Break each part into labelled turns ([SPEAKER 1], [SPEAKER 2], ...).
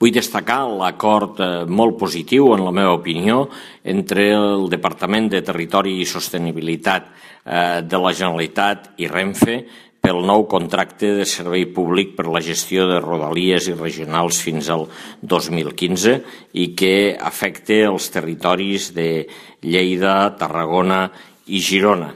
[SPEAKER 1] Vull destacar l'acord molt positiu, en la meva opinió, entre el Departament de Territori i Sostenibilitat de la Generalitat i Renfe pel nou contracte de servei públic per la gestió de rodalies i regionals fins al 2015 i que afecta els territoris de Lleida, Tarragona i Girona.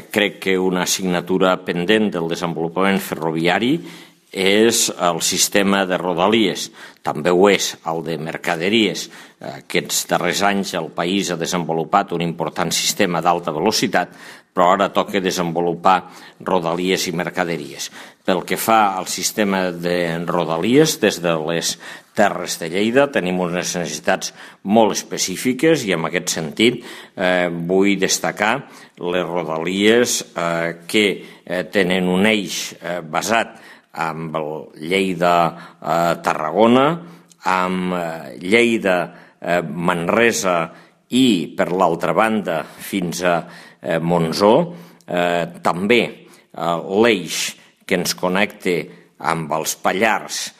[SPEAKER 1] Crec que una assignatura pendent del desenvolupament ferroviari és el sistema de rodalies, també ho és el de mercaderies. Aquests darrers anys el país ha desenvolupat un important sistema d'alta velocitat, però ara toca desenvolupar rodalies i mercaderies. Pel que fa al sistema de rodalies, des de les Terres de Lleida tenim unes necessitats molt específiques i en aquest sentit vull destacar les rodalies que tenen un eix basat amb Lleida-Tarragona, amb Lleida-Manresa i, per l'altra banda, fins a Montsó. També l'eix que ens connecta amb els Pallars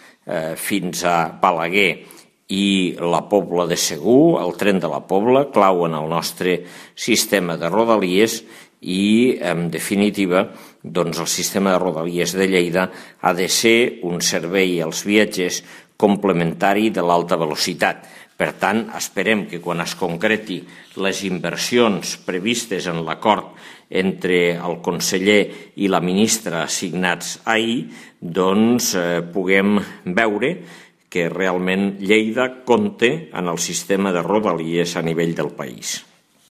[SPEAKER 1] fins a Balaguer i la Pobla de Segur, el tren de la Pobla, clau en el nostre sistema de rodalies i, en definitiva, el sistema de rodalies de Lleida ha de ser un servei als viatgers complementari de l'alta velocitat. Per tant, esperem que quan es concreti les inversions previstes en l'acord entre el conseller i la ministra signats ahir, puguem veure que realment Lleida compta en el sistema de rodalies a nivell del país.